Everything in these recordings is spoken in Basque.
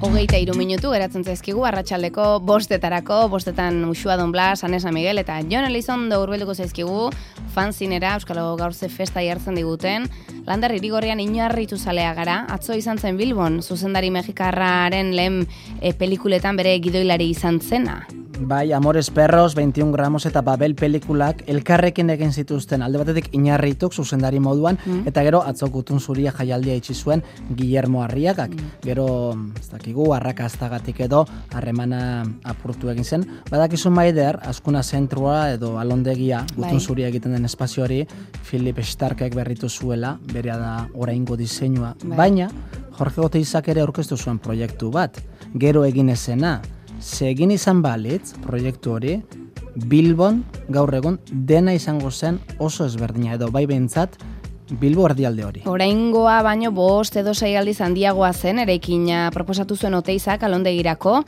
23 minutu geratzen zaizkigu arratsaldeko 5:00, 5:00 Uxua Don Blas, Anesa Miguel eta Jon Elizondo hurbilduko zaizkigu fanzinera Euskal Gaurze festa jartzen diguten. Lander Irigorrian inarritu zalea gara. Atzo izan zen Bilbon, zuzendari mexikarraren lehen pelikuletan bere gidoilari izan zena. Bai, Amores Perros, 21 gramos eta Babel pelikulak elkarrekin egin zituzten alde batetik Inarrituk zuzendari moduan, eta gero atzo Gutun Zuria jaialdia itxi zuen Guillermo Arriagak. Gero, ez dakigu, arrakastagatik edo harremana apurtu egin zen. Badakizu Maider, Azkuna zentrua edo alondegia Gutun Zuria egiten den espazioari Philip Starkek berritu zuela, berea da oraingo diseinua. Baina, Jorge Oteizak ere aurkeztu zuen proiektu bat, gero egin ezena. Egin izan balitz, proiektu hori, Bilbon gaur egun dena izango zen oso ezberdina edo bai behintzat Bilbo erdialde hori. Oraingoa baino 5 edo 6 aldiz handiagoa zen, eraikina proposatu zuen Oteizak alondegirako,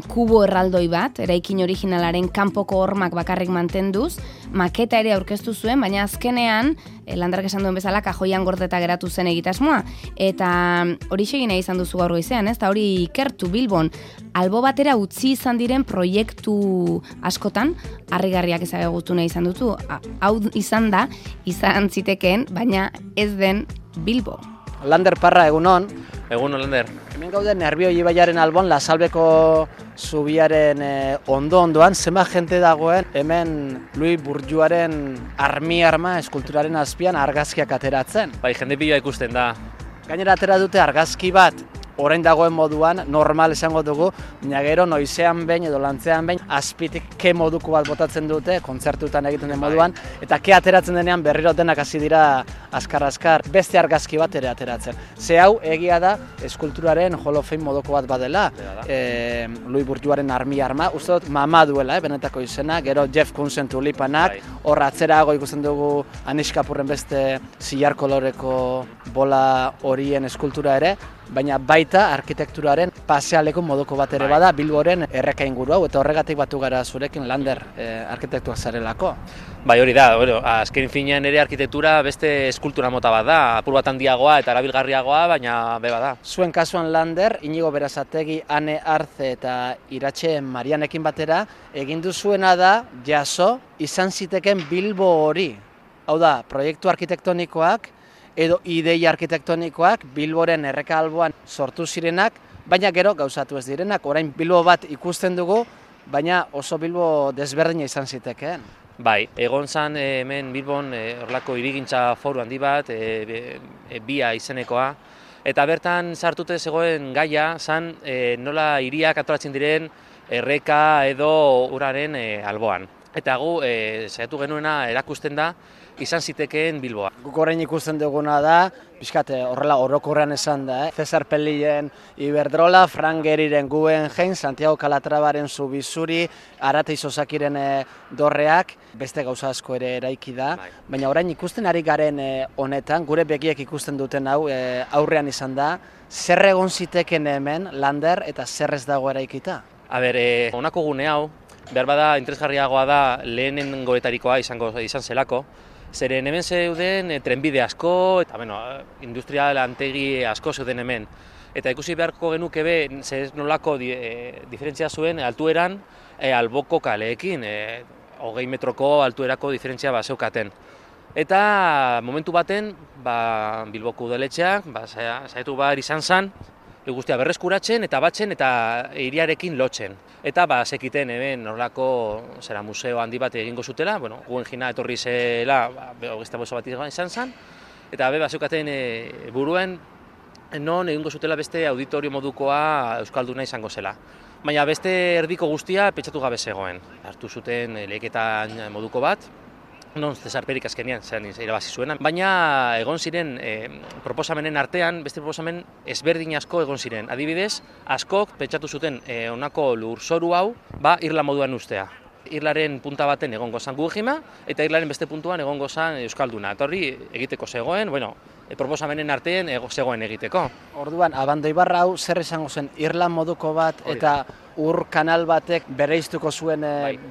kubo erraldoi bat, eraikin originalaren kanpoko hormak bakarrik mantenduz, maketa ere aurkeztu zuen, baina azkenean, Landark esan duen bezala, kajoian gordeta geratu zen egitasmoa. Eta hori segina izan duzu gaur goizean, ez? Eta hori ikertu Bilbon, albo batera utzi izan diren proiektu askotan, harrigarriak ezagutu nahi izan dutu. Hau izan zitekeen, baina ez den Bilbo. Lander Parra, egunon. Egunon, Lander. Hemen gaude Nerbioi ibaiaren albon, Lasalbeko zubiaren ondoan, zenbat jente dagoen, hemen Luis Bourdieuren arma eskulturaren azpian argazkiak ateratzen. Bai, jende pila ikusten da. Gainera atera dute argazki bat, orain dagoen moduan, normal esango dugu, baina gero noizean behin edo lantzean behin, azpitik ke moduko bat botatzen dute, kontzertutan egiten den moduan, eta ke ateratzen denean berriro denak hasi dira azkar-azkar, beste argazki bat ere ateratzen. Ze hau egia da, eskulturaren Hall of Fame moduko bat badela, Luis Bourdieuren arma, uste dut mama duela, benetako izena, gero Jeff Koonsen tulipanak, hor atzerago ikusten dugu Anish Kapoorren beste zilar koloreko bola horien eskultura ere, baina baita arkitekturaren pasealeko moduko bat ere bada Bilboren erreka inguru hau, eta horregatik batu gara zurekin Lander arkitektuak zarelako. Bai, hori da, azken finean ere arkitektura beste eskultura mota bat da, apur bat handiagoa eta erabilgarriagoa, baina beba da. Zuen kasuan Lander, Inigo Berazategi, Ane Arze eta Iratxe Marianekin batera, egin duzuena da jaso izan ziteken Bilbo hori. Hau da, proiektu arkitektonikoak, edo ideia arkitektonikoak Bilboren erreka alboan sortu zirenak, baina gero gauzatu ez direnak. Orain Bilbo bat ikusten dugu, baina oso Bilbo desberdina izan zitekeen. Bai, egon zan hemen Bilbon horlako hirigintza foru handi bat, bia izenekoa, eta bertan sartute zegoen gaia zan nola hiriak antolatzen diren erreka edo uraren alboan. Eta gu saiatu genuena erakusten da izan zitekeen Bilboa. Guk orain ikusten duguna da, pixkat horrela orokorrean esan da, Cesar Pellilen Iberdrola, Frank Gehryren Guggenheim, Santiago Calatravaren Zubizuri, Arate Isozakiren dorreak, beste gauza asko ere eraiki da, baina orain ikusten ari garen honetan, gure begiek ikusten duten hau aurrean izan da, zer egon ziteken hemen Lander eta zer ez dago eraikita? Honako gune hau, behar bada interesgarriagoa da lehenen goetarikoa izan zelako, zeren hemen zeuden trenbide asko, eta industrial antegi asko zeuden hemen. Eta ikusi beharko genuke zer nolako diferentzia zuen altueran alboko kaleekin, 20 metroko altuerako diferentzia zeukaten. Eta momentu baten, Bilboko udaletxeak, saiatu behar izan zen, guztia berreskuratzen eta batzen eta hiriarekin lotzen. Eta zekiten hemen horrelako museo handi bat egingo zutela, Guggenheim etorri zela, hogeita bost bat izan zen, eta zeukaten buruen non egingo zutela beste auditorio modukoa euskalduna izango zela. Baina beste erdiko guztia pentsatu gabe zegoen. Hartu zuten lehiaketan moduko bat, non Cesar Perik azkenean irabazi zuena, baina egon ziren proposamenen artean, beste proposamen ezberdin asko egon ziren. Adibidez, askok pentsatu zuten honako lurzoru hau, irla moduan ustea. Irlaren punta baten egongo zan Guggenheima, eta irlaren beste puntuan egongo zan euskalduna. Eta hori egiteko zegoen, proposamenen artean zegoen egiteko. Orduan, Abandoibarra hau zer izango zen, Irlan moduko bat eta ur kanal batek bereiztuko zuen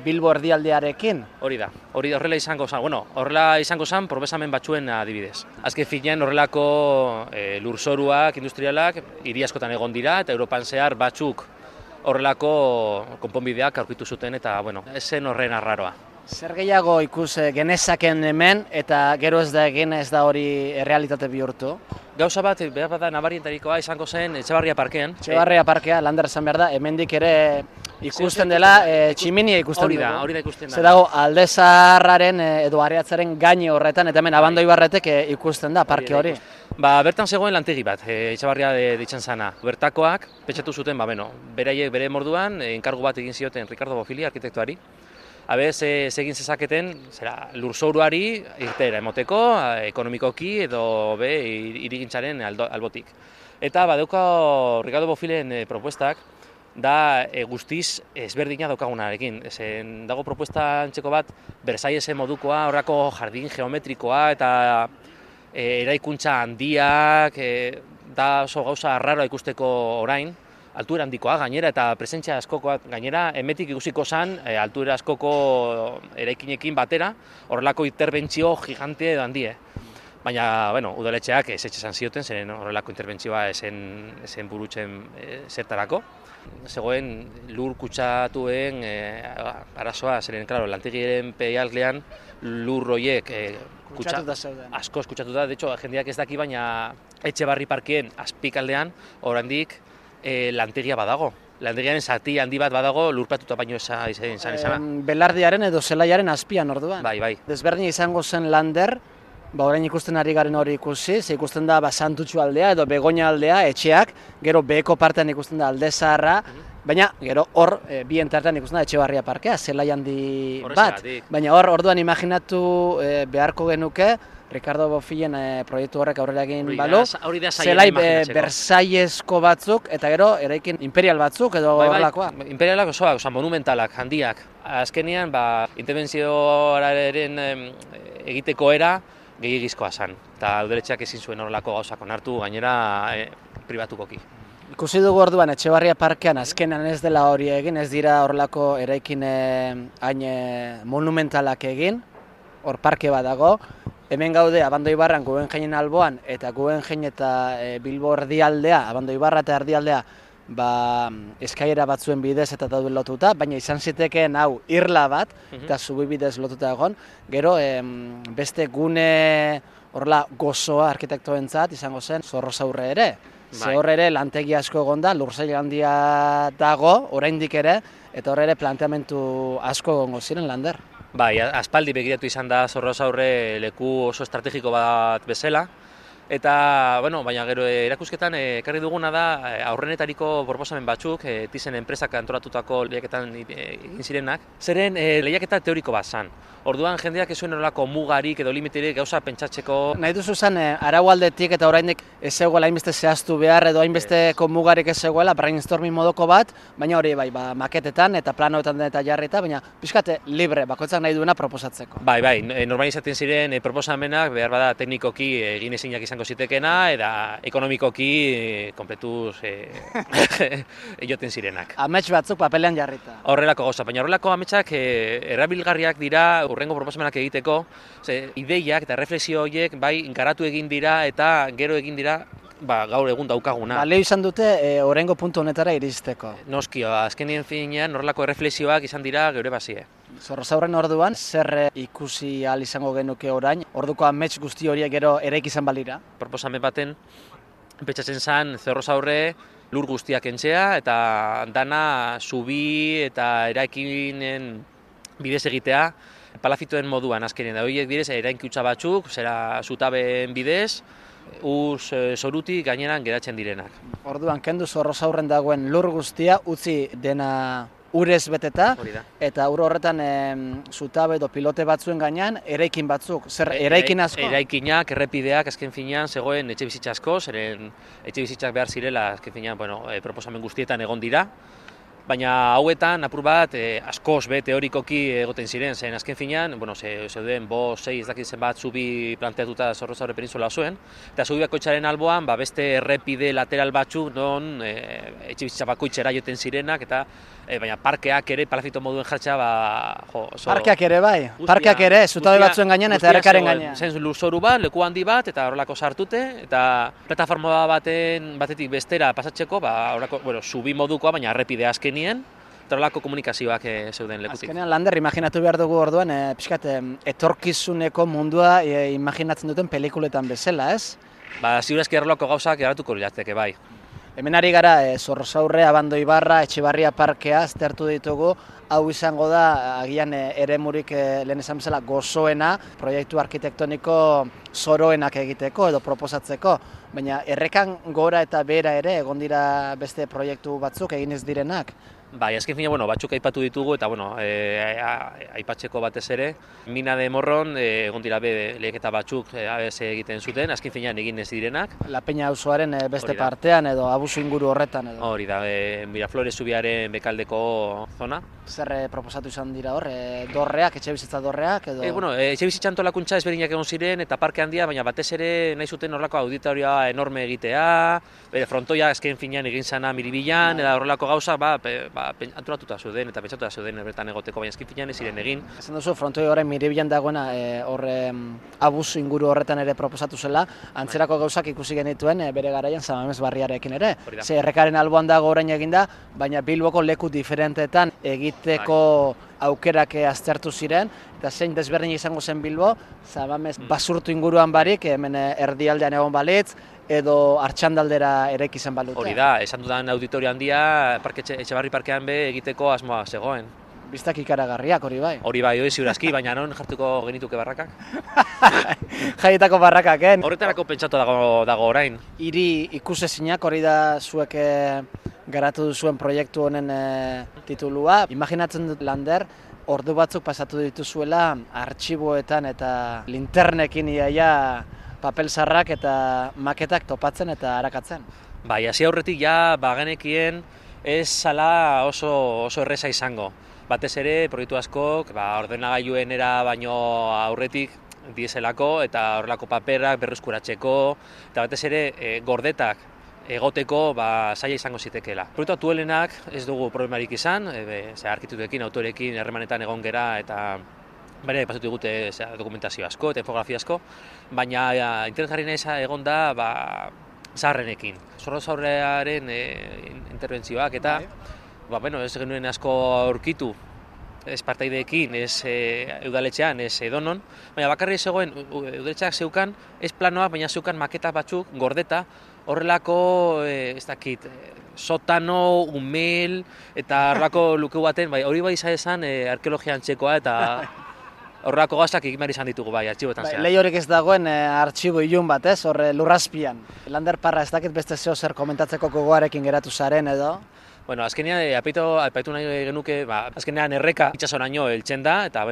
Bilbo erdialdearekin? Hori da, horrela izango zen, horrela izango zen proposamen batzuen adibidez. Azken finean horrelako lurzoruak, industrialak, hiri askotan egon dira eta Europan zehar batzuk horrelako konponbideak aurkitu zuten eta, ez zen horren arraroa. Zer gehiago ikus genezaken hemen eta gero ez da hori errealitate bihurtu? Gauza bat, behar bada nabarientarikoa izango zen Etxebarria parkean. Etxebarria parkea, Lander esan behar da, hemendik ere ikusten dela, tximinia ikusten dugu. Hori da ikusten da. Zer dago, Alde Zaharraren edo Areatzaren gaine horretan, eta hemen Abandoibarretek ikusten da parke hori. Bertan zegoen lantegi bat, Etxebarria ditzen zana. Bertakoak, pentsatu zuten, beraiek bere morduan, enkargu bat egin zioten Ricardo Bofill arkitektuari. Egin zezaketen lurzouruari irtera emoteko, ekonomikoki edo hirigintzaren albotik. Eta badauka Ricardo Bofillen propuestak da guztiz ezberdina daukagunarekin. Dago propuesta antzeko bat, Versaillesen modukoa, horrako jardin geometrikoa eta eraikuntza handiak, da oso gauza arraroa ikusteko orain, altuera handikoa gainera eta presentzia askokoak gainera, emetik ikusiko zen altuera askoko eraikinekin batera, horrelako interbentzio gigante edo handie. Baina, udaletxeak ez etxesan zioten, zeren horrelako interbentzioa esen burutzen zertarako. Zegoen lur kutsatuen arazoa, zeren, lantegiren peialdean lur horiek askoz kutsatuta, de hecho, jendeak ez daki, baina Etxebarri parkeen azpikaldean, oraindik lantegia badago. Lantegiaren zati handi bat badago lurpatuta baino izan. Belardiaren edo zelaiaren azpian orduan. Bai. Desberdin izango zen Lander, orain ikusten ari garen hori ikusi, ze ikusten da Santutxu aldea edo Begoña aldea, etxeak, gero beheko partean ikusten da Alde Zaharra, baina gero hor bien tartean ikusten da Etxebarria parkea, zelai handi bat. Baina orduan imaginatu beharko genuke, Ricardo Bofillen proiektu horrek aurrera egin balu, zelai Versaillesko batzuk, eta gero eraikin imperial batzuk edo horrelakoa. Imperialak osoak, monumentalak, handiak. Azkenean, interbentzioaren egiteko era gehiagizkoa zen. Eta udaletxeak ezin zuen horrelako gauzak onartu, gainera pribatukoki. Ikusi dugu orduan Etxebarria parkean azkenan ez dela hori egin, ez dira horrelako eraikin hain monumentalak egin, hor parke bat dago. Hemen gaude Abandoibarran Guggenheinen alboan eta Guggenhein eta Bilbo erdialdea, Abandoibarra eta erdialdea eskailera batzuen bidez eta dauden lotuta, baina izan zitekeen hau irla bat eta zubi bidez lotuta egon. Gero beste gune horrela gozoa arkitektoentzat izango zen Zorrozaurre ere. Ze hor ere lantegi asko egon da, lursail handia dago, oraindik ere, eta hor ere planteamentu asko egongo ziren Lander. Bai, aspaldi begiratu izan da Zorrozaurre leku oso estrategiko bat bezala. Eta, baina gero erakusketan ekarri duguna da aurrenetariko proposamen batzuk, Thyssen enpresak antolatutako lehiaketan egin zirenak, zeren lehiaketa teoriko bat zan. Orduan jendeak ez zuen horrelako mugarik edo limiterik gauza pentsatzeko. Nahi duzu zen araualdetik eta oraindik ez zegoela hainbeste zehaztu behar edo hainbesteko mugarik ez zegoela, brainstorming modoko bat, baina hori maketetan eta planoetan eta jarrita, baina pixkate libre, bakoitzak nahi duena proposatzeko. Bai, normalizatzen ziren proposamenak behar bada teknikoki egin ezinak izango zitekena eta ekonomikoki kompletuz ejoten zirenak. Amets batzuk papelean jarrita. Horrelako gauza, baina horrelako ametsak erabilgarriak dira hurrengo proposamenak egiteko, ideiak eta reflexio horiek garatu egin dira eta gero egin dira gaur egun daukaguna. Balio izan dute hurrengo puntu honetara iristeko. Noski, azkenien finean horrelako reflexioak izan dira geure bazie. Zorrozaurren orduan, zer ikusi ahal izango genuke orain, orduko amets guzti horiek gero eraiki izan balira? Proposamen baten, pentsatzen zen Zorrozaurre lur guztiak entzea eta dana zubi eta eraikinen bidez egitea, palafitoen moduan azkenean da horiek bidez erainkutza batzuk, zutabeen bidez, zorutik gaineran geratzen direnak. Orduan, kendu Zorrozaurren dagoen lur guztia utzi dena urez beteta, eta ur horretan zutabe edo pilote batzuen gainean eraikin batzuk, zer eraikin asko? Eraikinak, errepideak azken finean zegoen etxe bizitza asko, zeren etxe bizitzak behar zirela azken finean proposamen guztietan egon dira, Baina hauetan, apur bat, askoz be teorikoki egoten ziren, zen azken finean, zeuden 5-6 ez dakit zenbat zubi planteatuta Zorrozaurre penintzula osoen, eta zubi bakoitzaren alboan, beste errepide lateral batzuk non etxebizitza bakoitzera joten zirenak, eta baina parkeak ere palazito moduen jartzea, oso... Parkeak ere bai, parkeak ere, zutabe batzuen gainean eta errekaren gainean. Zen lurzoru bat, leku handi bat, eta horrelako sartute, eta plataforma batetik bestera pasatzeko, zubi modukoa, baina errepide azkenien, eta horrelako komunikazioak zeuden lekutik. Azkenean, Lander, imaginatu behar dugu orduan, pixkat, etorkizuneko mundua imaginatzen duten pelikuletan bezala, ez? Ziurazki horrelako gauzak eratuko lirateke, bai. Hemen ari gara, Zorrozaurre, Abando Ibarra, Etxebarria parkea aztertu ditugu, hau izango da, agian eremurik lehen esan bezala gozoena, proiektu arkitektoniko zoroenak egiteko edo proposatzeko, baina errekan gora eta behera ere egon dira beste proiektu batzuk egin ez direnak. Bai, azken fina, batzuk aipatu ditugu eta aipatzeko batez ere. Mina de Morron, egon dira leheketa batzuk ABS egiten zuten, azken finean egin ez direnak. La Peña auzoaren beste partean edo abusu inguru horretan edo. Hori da, Miraflores zubiaren bekaldeko zona. Zer proposatu izan dira hor, dorreak, etxebizitza dorreak edo? Etxebizitza antolakuntza ezberdinak egon ziren eta parke handia, baina batez ere nahi zuten horrelako auditorioa enorme egitea, frontoia azken finean egin zana Miribilan, eta horrelako gauza, antolatuta zeuden eta pentsatuta zeuden bertan egoteko, baina azken finean ez ziren egin. Esan duzu, frontoi horren Miribilan dagoena abusu inguru horretan ere proposatu zela, antzerako gauzak ikusi genituen bere garaian Samamez barriarekin ere. Ze errekaren alboan dago orain eginda, baina Bilboko leku diferentetan egiteko aukerak aztertu ziren, eta zein desberdin izango zen Bilbo, Samamez basurtu inguruan barik, hemen erdialdean egon balitz, edo Artxandaldera eraiki zen balute. Hori da, esan dudan auditorio handia Etxebarri parkean egiteko asmoa zegoen. Bistak ikaragarriak, hori bai? Hori bai, ziurazki, baina non jartuko genituke barrakak? Jaietako barrakak, Horretarako pentsatu dago orain. Hiri ikusezinak, hori da zuek garatu duzuen proiektu honen titulua. Imaginatzen dut, Lander, ordu batzuk pasatu dituzuela artxiboetan eta linternekin iaia papel zarrak eta maketak topatzen eta arakatzen. Bai, hasi aurretik bagenekien ez zala oso erreza izango. Batez ere, proiektu askok, ordenagailuen era baino aurretik dieselako eta horrelako paperak berreskuratzeko, eta batez ere gordetak egoteko zaila izango zitekeela. Proiektu aktualenak ez dugu problemarik izan, arkitektuekin, autorekin, harremanetan egon gera eta pasatu digute dokumentazio asko eta infografia asko, baina interesgarri nahi egon da zaharrenekin. Zorrozaurrearen interbentzioak eta ez genuen asko aurkitu, ez partaideekin, ez udaletxean, ez edonon, baina bakarri zegoen udaletxeak zeukan, ez planoak, baina zeukan maketa batzuk gordeta, horrelako, ez dakit, sotano, umel, eta horrelako luke baten, hori bai izan arkeologia antzekoa eta horrelako gauzak egin behar izan ditugu artxiboetan zehar. Lehi ez dagoen artxibo ilun bat, horre lurrazpian. Lander Parra, ez dakit beste zeo zer komentatzeko gogoarekin geratu zaren edo? Azkenean, apaitu nahi genuke, azkenean erreka itxasoraino heltzen da, eta,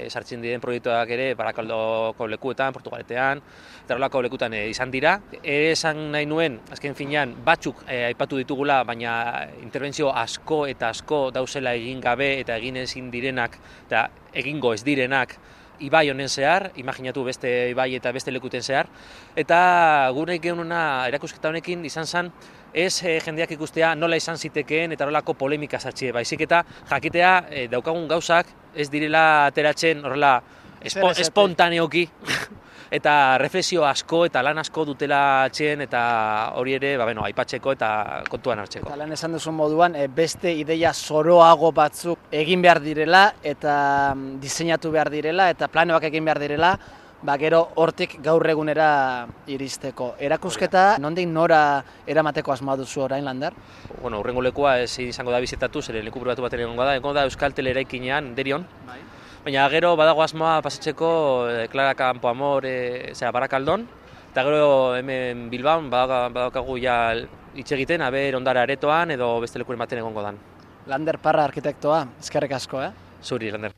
sartzen diren proiektuak ere, Barakaldoko lekuetan, Portugaletean, eta horrelako lekutan izan dira. Esan nahi nuen, azken finean, batzuk aipatu ditugula, baina interbentzio asko eta asko dauzela egin gabe eta egin ezin direnak, eta egingo ez direnak, ibai honen zehar, imaginatu beste ibai eta beste lekuten zehar, eta gure genuna erakusketa honekin izan zen, ez jendeak ikustea nola izan zitekeen eta horrelako polemika zatxe, baizik eta jakitea daukagun gauzak ez direla ateratzen horrela espontaneoki eta reflexio asko eta lan asko dutela atxeen eta hori ere aipatzeko eta kontuan hartzeko. Eta lan esan duzun moduan beste ideia zoroago batzuk egin behar direla eta diseinatu behar direla eta planoak egin behar direla, gero hortik gaur egunera iristeko. Erakusketa, nondik nora eramateko asmoa duzu orain, Lander? Hurrengo lekua ez izango da bizitatu, zeren leku pribatu baten egongo da Euskaltel eraikinean, Derion. Baina gero badago asmoa pasatzeko Clara Campoamor, Barakaldon, eta gero hemen Bilbaon badaukagu hitz egiten, Ondara Aretoan edo beste lekuren baten egongo dan. Lander Parra arkitektoa, eskerrik asko, Zuri, Lander.